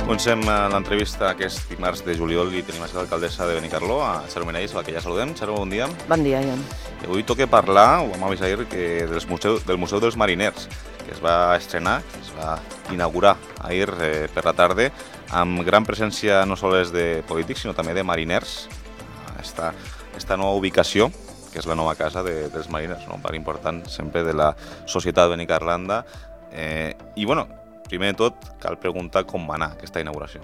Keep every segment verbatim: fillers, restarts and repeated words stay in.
Comencem l'entrevista aquest dimarts de juliol i tenim a l'alcaldessa de Benicarló, a Xaro Menells, a la que ja saludem. Xaro, bon dia. Bon dia, Ian. I avui toca parlar, ho vam avisar ahir, que dels museu, del Museu dels Mariners, que es va estrenar, que es va inaugurar ahir eh, per la tarda, amb gran presència no sols de polítics, sinó també de mariners. Esta, esta nova ubicació, que és la nova casa de, dels mariners, no? Un part important sempre de la societat benicarlanda. Eh, I, bueno, primer de tot, cal preguntar com va anar aquesta inauguració.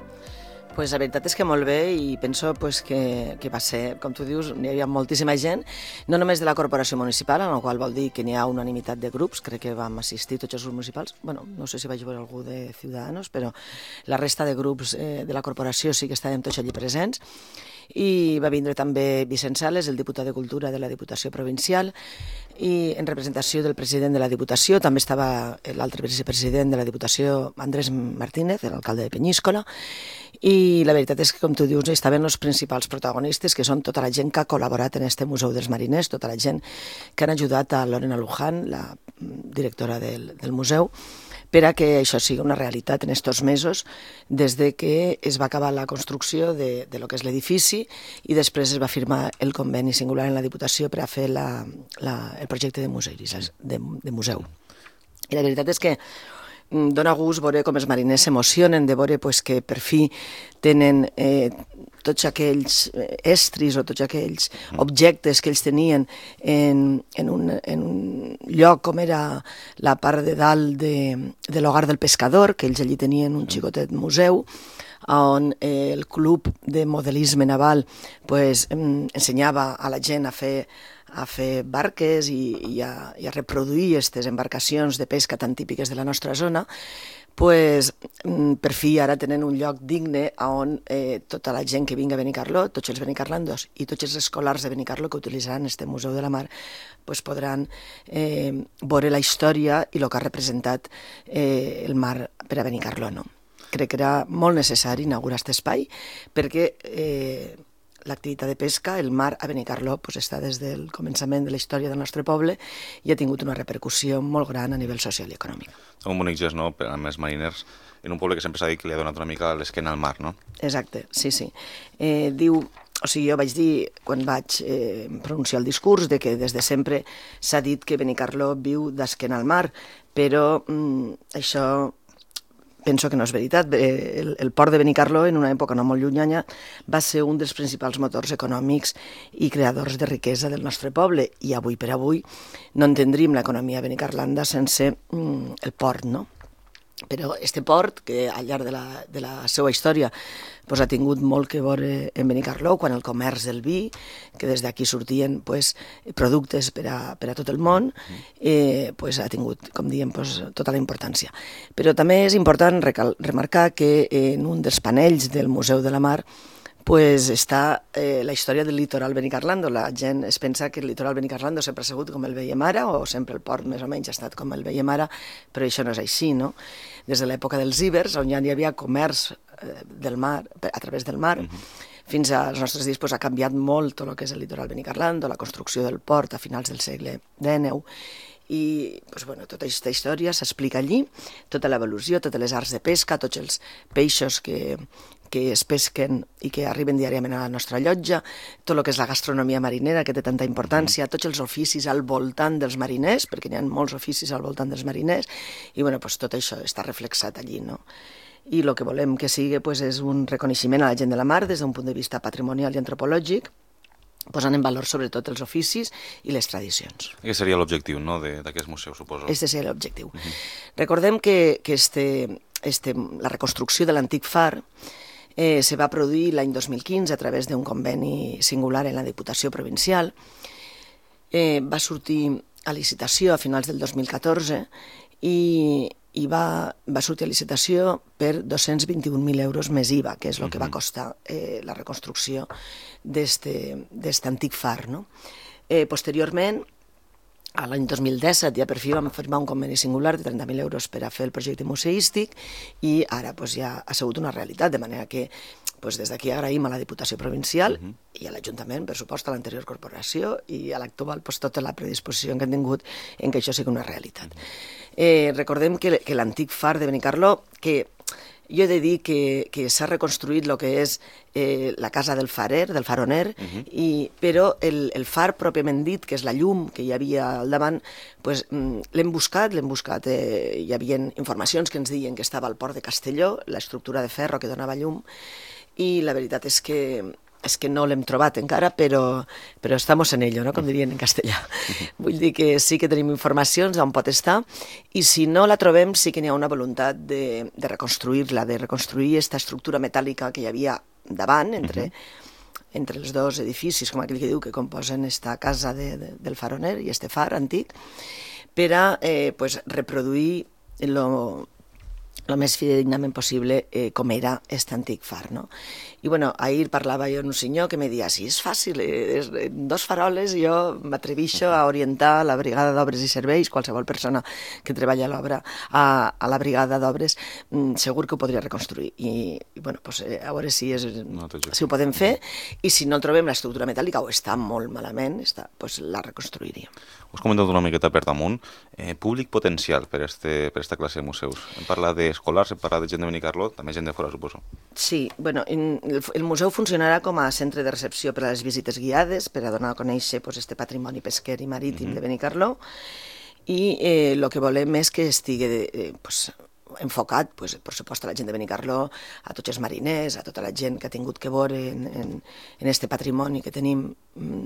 Pues la veritat és que molt bé i penso pues, que, que va ser, com tu dius, hi havia moltíssima gent, no només de la corporació municipal, en la qual vol dir que n'hi ha unanimitat de grups, crec que vam assistir tots els grups municipals, bueno, no sé si vaig veure algú de Ciudadanos, però la resta de grups eh, de la corporació sí que estàvem tots allí presents, i va vindre també Vicent Sales, el diputat de Cultura de la Diputació Provincial, i en representació del president de la Diputació també estava l'altre vicepresident de la Diputació, Andrés Martínez, l'alcalde de Penyíscola, i la veritat és que, com tu dius, estaven els principals protagonistes, que són tota la gent que ha col·laborat en este Museu dels Mariners, tota la gent que han ajudat a Lorena Luján, la directora del, del museu, per a que això sigui una realitat en aquests mesos, des de que es va acabar la construcció de, de lo que és l'edifici i després es va firmar el conveni singular en la Diputació per a fer la, la, el projecte de, museis, de, de museu. I la veritat és que dona gust veure com els mariners s'emocionen de veure pues, que per fi tenen eh, tots aquells estris o tots aquells objectes que ells tenien en, en, un, en un lloc com era la part de dalt de, de l'hogar del pescador, que ells allí tenien un xicotet museu, on eh, el club de modelisme naval pues, ensenyava a la gent a fer a fer barques i, i, a, i a reproduir aquestes embarcacions de pesca tan típiques de la nostra zona, pues, per fi ara tenen un lloc digne on eh, tota la gent que vingui a Benicarló, tots els benicarlandos i tots els escolars de Benicarló que utilitzaran este Museu de la Mar, pues, podran eh, veure la història i el que ha representat eh, el mar per a Benicarló. No? Crec que era molt necessari inaugurar aquest espai perquè eh, l'activitat de pesca, el mar a Benicarló, pues, està des del començament de la història del nostre poble i ha tingut una repercussió molt gran a nivell social i econòmic. Un bonic gest, no?, amb els mariners, en un poble que sempre s'ha dit que li ha donat una mica l'esquena al mar, no? Exacte, sí, sí. Eh, diu, o sigui, jo vaig dir, quan vaig eh, pronunciar el discurs, de que des de sempre s'ha dit que Benicarló viu d'esquena al mar, però mm, això penso que no és veritat. El, el port de Benicarló, en una època no molt llunyana, va ser un dels principals motors econòmics i creadors de riquesa del nostre poble, i avui per avui no entendríem l'economia benicarlanda sense mm, el port, no? Però este port, que al llarg de la, de la seva història pues, ha tingut molt que veure en Benicarló, quan el comerç del vi, que des d'aquí sortien pues, productes per a, per a tot el món, eh, pues, ha tingut, com diem, pues, tota la importància. Però també és important recal, remarcar que en un dels panells del Museu de la Mar pues està eh, la història del litoral benicarlando. La gent es pensa que el litoral benicarlando sempre ha sigut com el veiem ara, o sempre el port més o menys ha estat com el veiem ara, però això no és així, no? Des de l'època dels ibers, on ja hi havia comerç eh, del mar, a través del mar, uh-huh. fins als nostres dies pues, ha canviat molt tot el que és el litoral benicarlando, la construcció del port a finals del segle dinou, i pues, bueno, tota aquesta història s'explica allí, tota l'evolució, totes les arts de pesca, tots els peixos que, que es pesquen i que arriben diàriament a la nostra llotja, tot el que és la gastronomia marinera, que té tanta importància, tots els oficis al voltant dels mariners, perquè hi ha molts oficis al voltant dels mariners, i bueno, pues, tot això està reflexat allí, no? I el que volem que sigui pues, és un reconeixement a la gent de la mar des d'un punt de vista patrimonial i antropològic, posant en valor sobretot els oficis i les tradicions. Aquest seria l'objectiu, no?, d'aquest museu, suposo. Este seria l'objectiu. Uh-huh. Recordem que, que este, este, la reconstrucció de l'antic far eh, se va produir l'any dos mil quinze a través d'un conveni singular en la Diputació Provincial. Eh, va sortir a licitació a finals del dos mil catorze i, i va, va sortir a licitació per dos-cents vint-i-un mil euros més I V A, que és el que va costar eh, la reconstrucció d'aquest antic far. No? Eh, posteriorment, a l'any dos mil disset, ja per fi vam firmar un conveni singular de trenta mil euros per a fer el projecte museístic i ara pues, ja ha sigut una realitat, de manera que pues, des d'aquí agraïm a la Diputació Provincial uh-huh. i a l'Ajuntament, per supost, a l'anterior corporació i a l'actual pues, tota la predisposició que han tingut en que això sigui una realitat. Uh-huh. Eh, recordem que, que l'antic far de Benicarló, que Jo he de dir que, que s'ha reconstruït el que és eh, la casa del farer, del faroner, uh -huh. i, però el, el far pròpiament dit, que és la llum que hi havia al davant, pues, l'hem buscat, l'hem buscat. Eh, hi havia informacions que ens deien que estava al port de Castelló, l'estructura de ferro que donava llum, i la veritat és que és que no l'hem trobat encara, però, però estamos en ello, no? Com dirien en castellà. Vull dir que sí que tenim informacions d'on pot estar, i si no la trobem sí que n'hi ha una voluntat de, de reconstruir-la, de reconstruir aquesta estructura metàl·lica que hi havia davant, entre, uh -huh. entre els dos edificis, com aquell que diu, que composen esta casa de, de, del faroner i este far antic, per a eh, pues, reproduir lo el més fidedignament possible eh, com era aquest antic far, no? I, bueno, ahir parlava jo amb un senyor que me deia, sí, és fàcil, eh, és, en dos faroles jo m'atrevixo a orientar la brigada d'obres i serveis, qualsevol persona que treballa a l'obra, a, a la brigada d'obres, mm, segur que ho podria reconstruir. I, i bueno, pues, eh, a veure si, és, no, si ho podem fer, i si no trobem l'estructura metàl·lica o està molt malament, està, pues, la reconstruiríem. Us comentat una miqueta per damunt, eh, públic potencial per este, per esta classe de museus. Hem parlat d'escolars, hem parlat de gent de Benicarló, també gent de fora, suposo. Sí, bueno, el, el museu funcionarà com a centre de recepció per a les visites guiades, per a donar a conèixer pues, este patrimoni pesquer i marítim uh-huh. de Benicarló, i el eh, que volem és que estigui eh, pues, enfocat, pues, per supost, a la gent de Benicarló, a tots els mariners, a tota la gent que ha tingut que veure en, en, en este patrimoni que tenim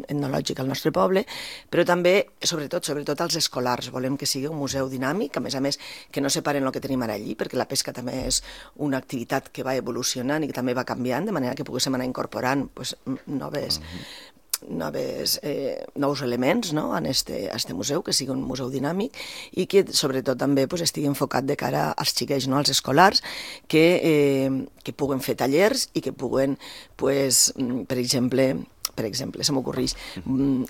etnològic al nostre poble, però també, sobretot, sobretot als escolars. Volem que sigui un museu dinàmic, a més a més, que no separen el que tenim ara allí, perquè la pesca també és una activitat que va evolucionant i que també va canviant, de manera que poguéssim anar incorporant pues, noves... Uh-huh. Noves, eh, nous elements no? en este, este museu, que sigui un museu dinàmic i que sobretot també pues, estigui enfocat de cara als xiquets, no? als escolars, que, eh, que puguen fer tallers i que puguen, pues, per exemple, per exemple, se m'ocorreix,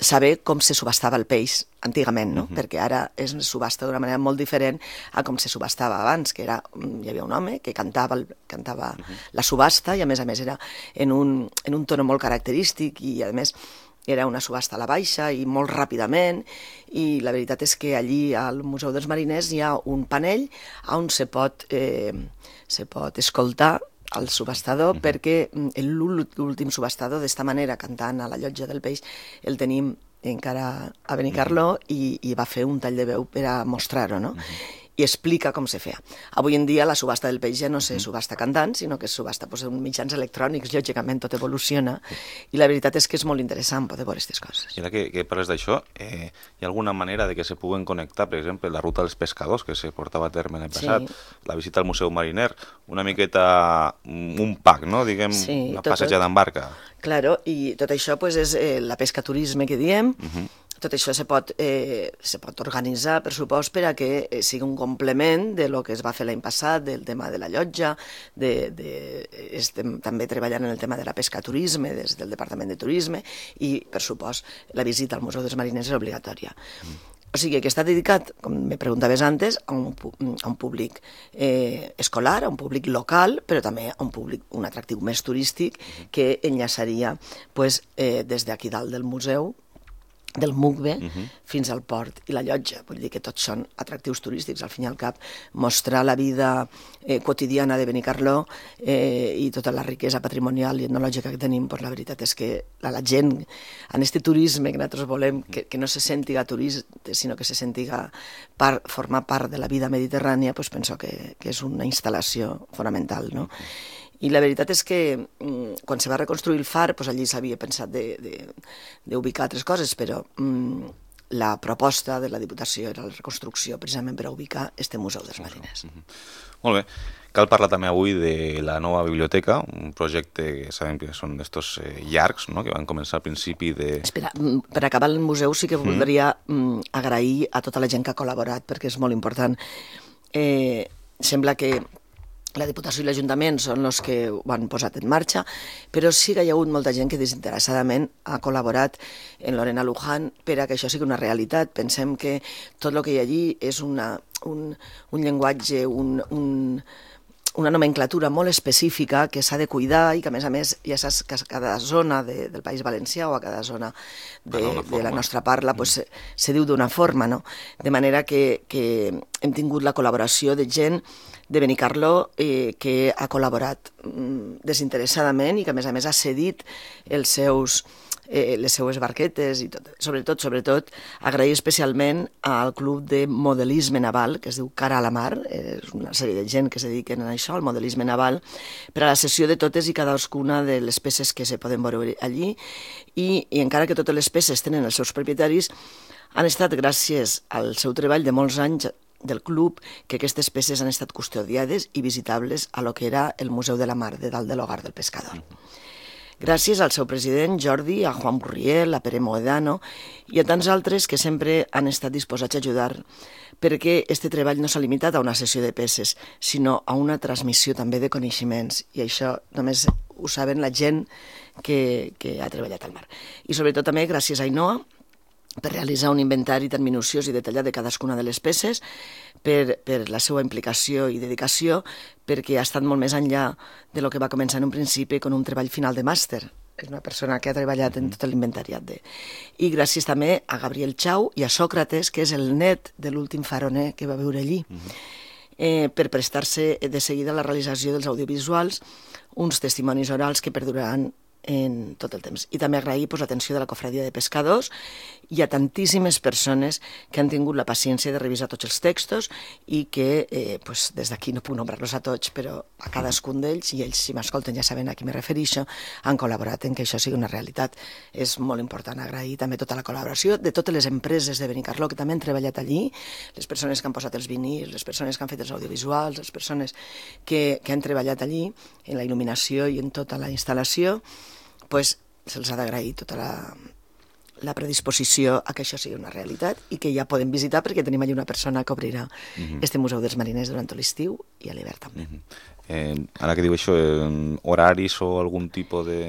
saber com se subhastava el peix antigament, no? Uh-huh. Perquè ara es subhasta d'una manera molt diferent a com se subhastava abans, que era, hi havia un home que cantava, el, cantava uh-huh. la subhasta i a més a més era en un, en un tono molt característic i a més era una subhasta a la baixa i molt ràpidament, i la veritat és que allí al Museu dels Mariners hi ha un panell on se pot, eh, se pot escoltar el subhastador, uh-huh. perquè l'últim subhastador d'esta manera, cantant a la llotja del peix, el tenim encara a Benicarló uh-huh. i, i va fer un tall de veu per a mostrar-ho, no? Uh-huh. I explica com se feia. Avui en dia la subhasta del peix ja no se subhasta cantant, sinó que es subhasta pues, en mitjans electrònics, lògicament tot evoluciona, i la veritat és que és molt interessant poder veure aquestes coses. I ara que, que parles d'això, eh, hi ha alguna manera de que se puguen connectar, per exemple, la ruta dels pescadors, que se portava a terme l'any passat, sí. la visita al Museu Mariner, una miqueta un pack, no? Diguem, sí, una passejada en barca. Claro, i tot això pues, és eh, la pesca-turisme que diem. Uh-huh. Tot això se pot, eh, se pot organitzar, per supost, per a que eh, sigui un complement de lo que es va fer l'any passat, del tema de la llotja, de, de, estem també treballant en el tema de la pesca-turisme des del Departament de Turisme i, per supost, la visita al Museu dels Mariners és obligatòria. Mm. O sigui, que està dedicat, com me preguntaves antes, a un, a un públic eh, escolar, a un públic local, però també a un públic, un atractiu més turístic que enllaçaria pues, eh, des d'aquí dalt del museu, del Mugbe uh-huh. fins al port i la llotja. Vull dir que tots són atractius turístics, al fin i al cap, mostrar la vida eh, quotidiana de Benicarló eh, i tota la riquesa patrimonial i etnològica que tenim, pues la veritat és que la, la gent, en este turisme que nosaltres volem, que, que no se sentiga turista, sinó que se sentiga part, formar part de la vida mediterrània, pues penso que, que és una instal·lació fonamental, no? Uh-huh. I la veritat és que mm, quan se va reconstruir el far, doncs allí s'havia pensat d'ubicar altres coses, però mm, la proposta de la Diputació era la reconstrucció precisament per a ubicar este Museu dels Mariners. Uh-huh. Molt bé. Cal parlar també avui de la nova biblioteca, un projecte que sabem que són d'estos eh, llargs, no? Que van començar al principi de... Espera, per acabar el museu sí que voldria mm, agrair a tota la gent que ha col·laborat, perquè és molt important. Eh, sembla que la Diputació i l'Ajuntament són els que ho han posat en marxa, però sí que hi ha hagut molta gent que desinteressadament ha col·laborat en Lorena Luján per a que això sigui una realitat. Pensem que tot el que hi ha allí és una, un, un llenguatge, un, un, una nomenclatura molt específica que s'ha de cuidar i que, a més a més, ja saps que a cada zona de, del País Valencià o a cada zona de, de la nostra parla pues, se, se diu d'una forma, no? De manera que, que hem tingut la col·laboració de gent de Benicarló eh, que ha col·laborat mm, desinteressadament i que, a més a més, ha cedit els seus... Eh, les seues barquetes i tot. Sobretot, sobretot, agrair especialment al Club de Modelisme Naval, que es diu Cara a la Mar, és una sèrie de gent que es dediquen a això, al modelisme naval, per a la cessió de totes i cadascuna de les peces que se poden veure allí, i, i encara que totes les peces tenen els seus propietaris, han estat gràcies al seu treball de molts anys del club que aquestes peces han estat custodiades i visitables a lo que era el Museu de la Mar de dalt de l'Hogar del Pescador. Gràcies al seu president, Jordi, a Juan Burriel, a Pere Moedano i a tants altres que sempre han estat disposats a ajudar perquè este treball no s'ha limitat a una sessió de peces, sinó a una transmissió també de coneixements, i això només ho saben la gent que, que ha treballat al mar. I sobretot també gràcies a Ainhoa, per realitzar un inventari tan minuciós i detallat de cadascuna de les peces, per, per la seva implicació i dedicació, perquè ha estat molt més enllà de lo que va començar en un principi con un treball final de màster. És una persona que ha treballat en tot l'inventariat. De... I gràcies també a Gabriel Chau i a Sòcrates, que és el net de l'últim faroner que va viure allí, eh, per prestar-se de seguida a la realització dels audiovisuals, uns testimonis orals que perduraran en tot el temps. I també agrair pues, l'atenció de la Cofradia de Pescadors i a tantíssimes persones que han tingut la paciència de revisar tots els textos i que, eh, pues, des d'aquí no puc nombrar-los a tots, però a cadascun d'ells, i ells, si m'escolten, ja saben a qui me refereixo, han col·laborat en que això sigui una realitat. És molt important agrair també tota la col·laboració de totes les empreses de Benicarló que també han treballat allí, les persones que han posat els vinils, les persones que han fet els audiovisuals, les persones que, que han treballat allí en la il·luminació i en tota la instal·lació, pues, se'ls ha d'agrair tota la, la predisposició a que això sigui una realitat i que ja podem visitar perquè tenim allà una persona que obrirà uh-huh. este Museu dels Mariners durant tot l'estiu i a l'hivern també. Uh-huh. eh, ara que diu això, eh, horaris o algun tipus de...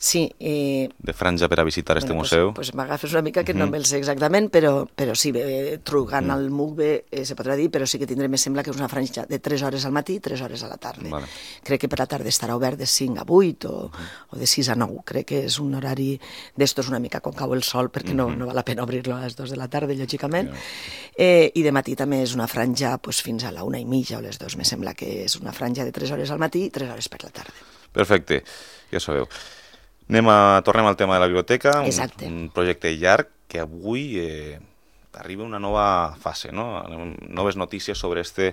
Sí. Eh, de franja per a visitar este bueno, museu? Pues, pues m'agafes una mica que uh-huh. no me'l sé exactament, però, però sí, eh, trucant uh-huh. al M U C B eh, se podrà dir, però sí que tindrem, me sembla que és una franja de tres hores al matí i tres hores a la tarda. Vale. Crec que per la tarda estarà obert de cinc a vuit o, uh-huh. o de sis a nou. Crec que és un horari d'estos una mica quan cau el sol, perquè uh-huh. no, no val la pena obrir-lo a les dues de la tarda, lògicament. Yeah. Eh, I de matí també és una franja pues, fins a la una i mitja o les dues. Me sembla que és una franja de tres hores al matí i tres hores per la tarda. Perfecte, ja sabeu. Anem a, tornem al tema de la biblioteca, un, un projecte llarg que avui eh, arriba una nova fase, no? Noves notícies sobre este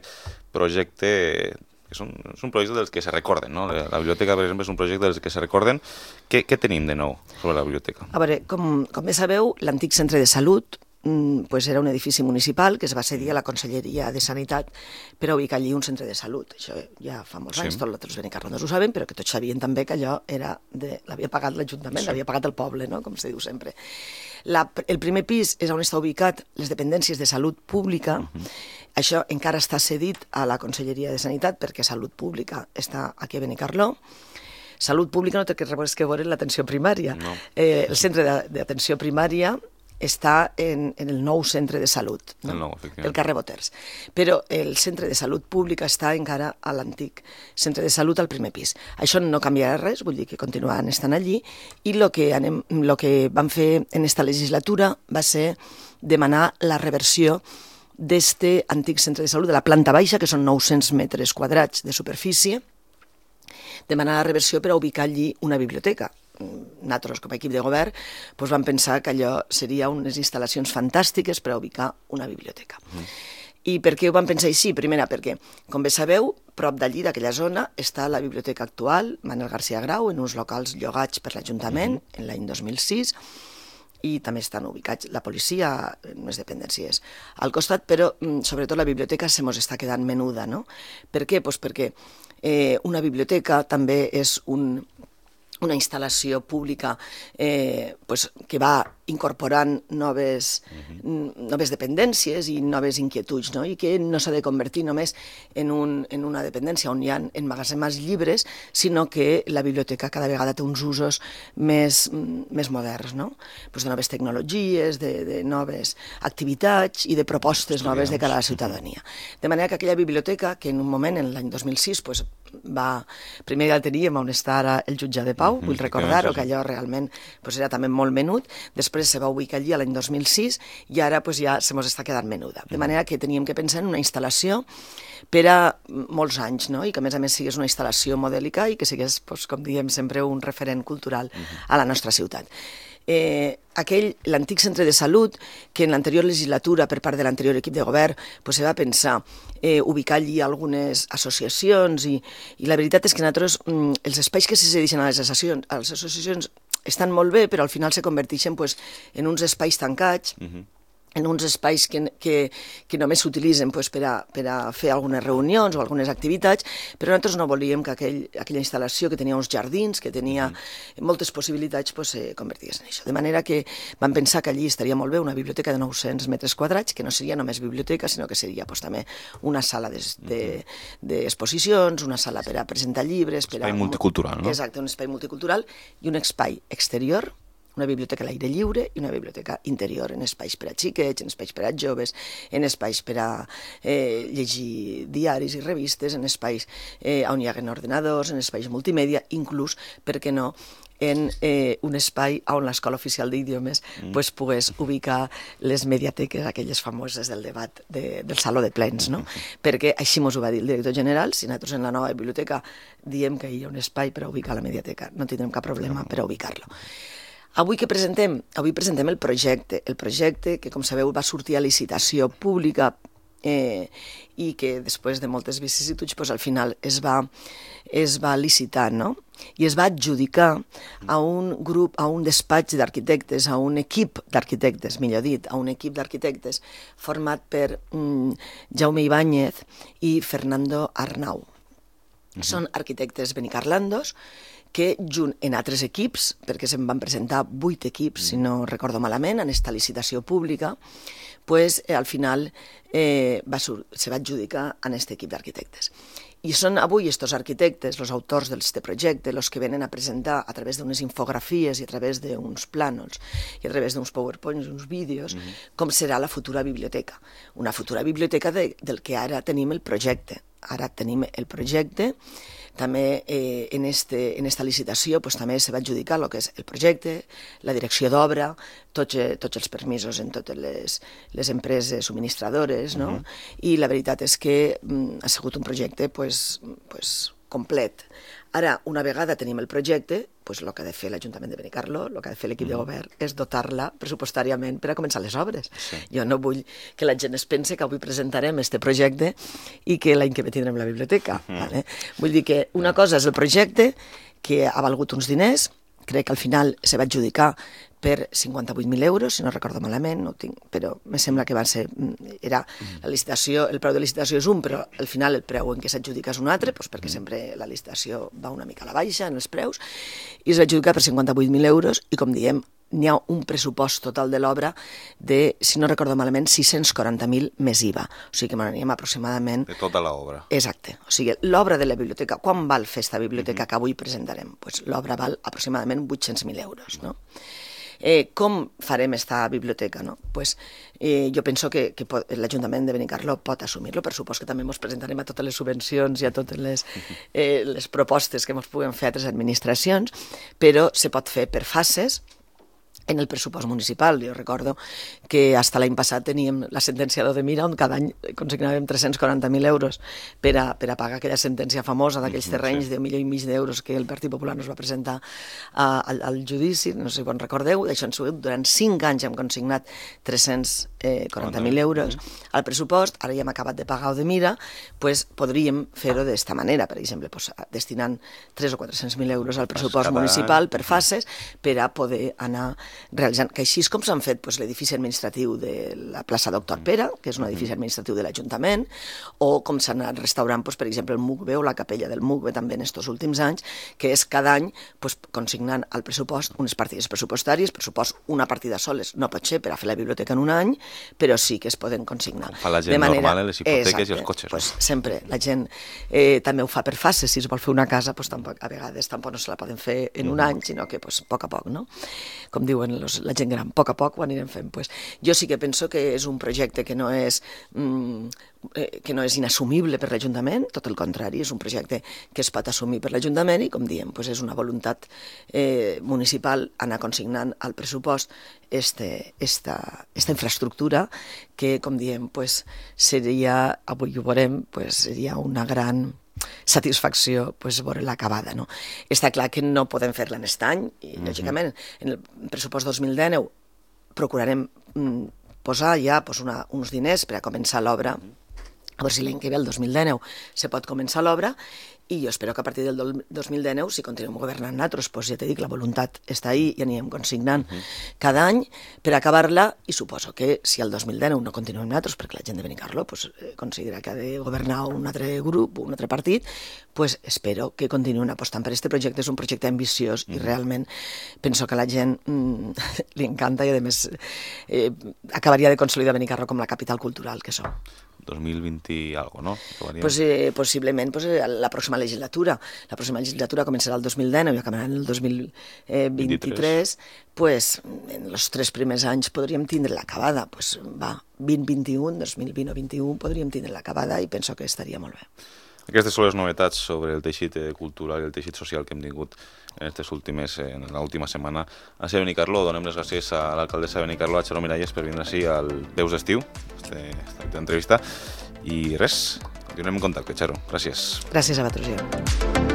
projecte, que són, és un projecte dels que se recorden, no? La biblioteca, per exemple, és un projecte dels que se recorden. Què, què tenim de nou sobre la biblioteca? A veure, com, com bé sabeu, l'antic centre de salut pues era un edifici municipal que es va cedir a la Conselleria de Sanitat per a ubicar allí un centre de salut. Això ja fa molts sí. anys, tots els benicarlondos ho saben, però que tots sabien també que allò era de, l'havia pagat l'Ajuntament, sí. l'havia pagat el poble, no? Com se diu sempre. La, el primer pis és on està ubicat les dependències de salut pública. Uh-huh. Això encara està cedit a la Conselleria de Sanitat perquè Salut Pública està aquí a Benicarló. Salut Pública no té res que veure l'atenció primària. No. Eh, el centre d'atenció primària està en, en el nou centre de salut, no? nou, del carrer Boters. Però el centre de salut pública està encara a l'antic centre de salut al primer pis. Això no canviarà res, vull dir que continuen estant allí, i el que, anem, lo que vam fer en esta legislatura va ser demanar la reversió d'este antic centre de salut, de la planta baixa, que són nou-cents metres quadrats de superfície, demanar la reversió per a ubicar allí una biblioteca. Nosaltres, com a equip de govern, doncs vam pensar que allò seria unes instal·lacions fantàstiques per a ubicar una biblioteca. Mm. I per què ho vam pensar així? Primera, perquè, com bé sabeu, prop d'allí, d'aquella zona, està la biblioteca actual, Manuel García Grau, en uns locals llogats per l'Ajuntament, mm-hmm. en l'any dos mil sis, i també estan ubicats la policia en unes dependències al costat, però sobretot la biblioteca se mos està quedant menuda, no? Per què? Pues perquè eh, una biblioteca també és un... una instal·lació pública eh, pues, que va incorporant noves, uh-huh. noves dependències i noves inquietuds, no? I que no s'ha de convertir només en, un, en una dependència on hi ha emmagatzemats llibres, sinó que la biblioteca cada vegada té uns usos més, més moderns, no? Pues de noves tecnologies, de, de noves activitats i de propostes noves de cara a la ciutadania. De manera que aquella biblioteca, que en un moment, en l'any dos mil sis, pues, va... primer ja el teníem on està ara el jutjat de Pau, vull recordar-ho, que allò realment pues, era també molt menut, després se va ubicar allí l'any dos mil sis i ara pues, ja se mos està quedant menuda. De manera que teníem que pensar en una instal·lació per a molts anys, no? I que a més a més sigués una instal·lació modèlica i que sigués, pues, com diem sempre, un referent cultural a la nostra ciutat. Eh, aquell, l'antic centre de salut, que en l'anterior legislatura, per part de l'anterior equip de govern, pues, se va pensar eh, ubicar allí algunes associacions i, i la veritat és que nosaltres, mm, els espais que se cedeixen a les associacions, a les associacions estan molt bé, però al final se converteixen pues, en uns espais tancats, uh-huh. en uns espais que, que, que només s'utilitzen pues, per, a, per a fer algunes reunions o algunes activitats, però nosaltres no volíem que aquell, aquella instal·lació que tenia uns jardins, que tenia mm. moltes possibilitats, pues, se convertís en això. De manera que vam pensar que allí estaria molt bé una biblioteca de nou-cents metres quadrats, que no seria només biblioteca, sinó que seria pues, també una sala d'exposicions, de, de una sala per a presentar llibres... Un espai a... multicultural, no? Exacte, un espai multicultural i un espai exterior, una biblioteca a l'aire lliure i una biblioteca interior, en espais per a xiquets, en espais per a joves, en espais per a eh, llegir diaris i revistes, en espais eh, on hi ha ordenadors, en espais multimèdia, inclús, per què no, en eh, un espai on l'Escola Oficial d'Idiomes mm. pues, pogués ubicar les mediateques, aquelles famoses del debat de, del Saló de Plens, no? Mm. Perquè així mos ho va dir el director general, si nosaltres en la nova biblioteca diem que hi ha un espai per a ubicar la mediateca, no tindrem cap problema per a ubicar-lo. Avui que presentem? Avui presentem el projecte, el projecte que, com sabeu, va sortir a licitació pública eh, i que després de moltes vicissituds pues, al final es va, es va licitar, no? I es va adjudicar a un grup, a un despatx d'arquitectes, a un equip d'arquitectes, millor dit, a un equip d'arquitectes format per mm, Jaume Ibáñez i Fernando Arnau. Uh-huh. Són arquitectes benicarlandos que junt en altres equips, perquè se'n van presentar vuit equips, si no recordo malament, en esta licitació pública, pues, eh, al final eh, va sur se va adjudicar en aquest equip d'arquitectes. I són avui estos arquitectes, els autors d'aquest projecte, els que venen a presentar a través d'unes infografies i a través d'uns plànols i a través d'uns powerpoints, uns vídeos, mm-hmm. com serà la futura biblioteca. Una futura biblioteca de, del que ara tenim el projecte. Ara tenim el projecte. També eh, en, este, en esta licitació pues, també se va adjudicar el que és el projecte, la direcció d'obra, tots, eh, tots els permisos en totes les, les empreses subministradores, no? Uh-huh. I la veritat és que mm, ha sigut un projecte pues, pues, complet. Ara, una vegada tenim el projecte, pues, el que ha de fer l'Ajuntament de Benicarló, el que ha de fer l'equip mm. de govern, és dotar-la pressupostàriament per a començar les obres. Sí. Jo no vull que la gent es pense que avui presentarem este projecte i que l'any que ve tindrem la biblioteca. Mm. Vale? Vull dir que una cosa és el projecte, que ha valgut uns diners, crec que al final se va adjudicar per cinquanta-vuit mil euros, si no recordo malament, no ho tinc, però me sembla que va ser, era la licitació, el preu de licitació és un, però al final el preu en què s'adjudica és un altre, doncs perquè sempre la licitació va una mica a la baixa en els preus, i es va adjudicar per cinquanta-vuit mil euros, i com diem, n'hi ha un pressupost total de l'obra de, si no recordo malament, sis-cents quaranta mil més I V A. O sigui que m'anem aproximadament... De tota l'obra. Exacte. O sigui, l'obra de la biblioteca, quan val fer esta biblioteca mm-hmm. que avui presentarem? Pues l'obra val aproximadament vuit-cents mil euros, no? Eh, com farem esta biblioteca? No? Pues, eh, jo penso que, que l'Ajuntament de Benicarló pot assumir-lo, per supost que també ens presentarem a totes les subvencions i a totes les, eh, les propostes que ens puguen fer a altres administracions, però se pot fer per fases, en el pressupost municipal. Jo recordo que fins l'any passat teníem la sentència d'Odemira on cada any consignàvem tres-cents quaranta mil euros per a, per a pagar aquella sentència famosa d'aquells terrenys sí. de un milió i mig d'euros que el Partit Popular nos va presentar a, al, al judici, no sé si en recordeu, d'això han sigut durant cinc anys hem consignat tres-cents quaranta mil euros al pressupost, ara ja hem acabat de pagar Odemira, pues podríem fer-ho d'esta manera, per exemple, pues, destinant tres o quatre-cents mil euros al pressupost municipal per fases per a poder anar realitzant, que així és com s'han fet doncs, l'edifici administratiu de la plaça Doctor Pere, que és un edifici administratiu de l'Ajuntament, o com s'han anat restaurant, doncs, per exemple, el MUCBE o la capella del MUCBE també en aquests últims anys, que és cada any doncs, consignant al pressupost unes partides pressupostàries, pressupost una partida soles, no pot ser per a fer la biblioteca en un any, però sí que es poden consignar. Com fa la gent manera... normal, les hipoteques Exacte. I els cotxes. Pues, no? Sempre, la gent eh, també ho fa per fases, si es vol fer una casa, pues, tampoc, a vegades tampoc no se la poden fer en un any, sinó que pues, a poc a poc, no? Com diuen los, la gent gran, a poc a poc ho anirem fent. Pues, jo sí que penso que és un projecte que no és, mm, eh, que no és inassumible per l'Ajuntament, tot el contrari, és un projecte que es pot assumir per l'Ajuntament i, com diem, pues, és una voluntat eh, municipal anar consignant al pressupost este, esta, esta infraestructura que, com diem, pues, seria, avui ho veurem, pues, seria una gran satisfacció pues, veure-la acabada. No? Està clar que no podem fer-la en aquest any i, mm-hmm. lògicament, en el pressupost dos mil dinou procurarem mm, posar ja pues, una, uns diners per a començar l'obra, a veure si l'any que ve, el dos mil dinou, se pot començar l'obra, i jo espero que a partir del dos mil dinou, si continuem governant nosaltres, doncs ja t'he dit, la voluntat està ahí i anirem consignant uh -huh. cada any per acabar-la, i suposo que si el dos mil dinou no continuem nosaltres, perquè la gent de Benicarló pues, eh, considera que ha de governar un altre grup, un altre partit, pues espero que continuïn apostant per aquest projecte. És un projecte ambiciós uh -huh. i realment penso que a la gent mm, li encanta i a més eh, acabaria de consolidar Benicarló com la capital cultural que som. dos mil vint i algo, no? Pues, eh, possiblement pues, eh, la pròxima legislatura. La pròxima legislatura començarà el dos mil dinou i acabarà el dos mil vint-i-tres. Pues, en els tres primers anys podríem tindre-la acabada. Pues, va, vint vint i un, dos mil vint o vint i un podríem tindre-la acabada i penso que estaria molt bé. Aquestes són les novetats sobre el teixit cultural i el teixit social que hem tingut en aquestes últimes, en l'última setmana a Benicarló. Donem les gràcies a l'alcaldessa de Benicarló, a Txaro Miralles, per vindre així al Veus d'Estiu, aquesta entrevista. I res, continuem en contacte, Txaro. Gràcies. Gràcies a vosaltres.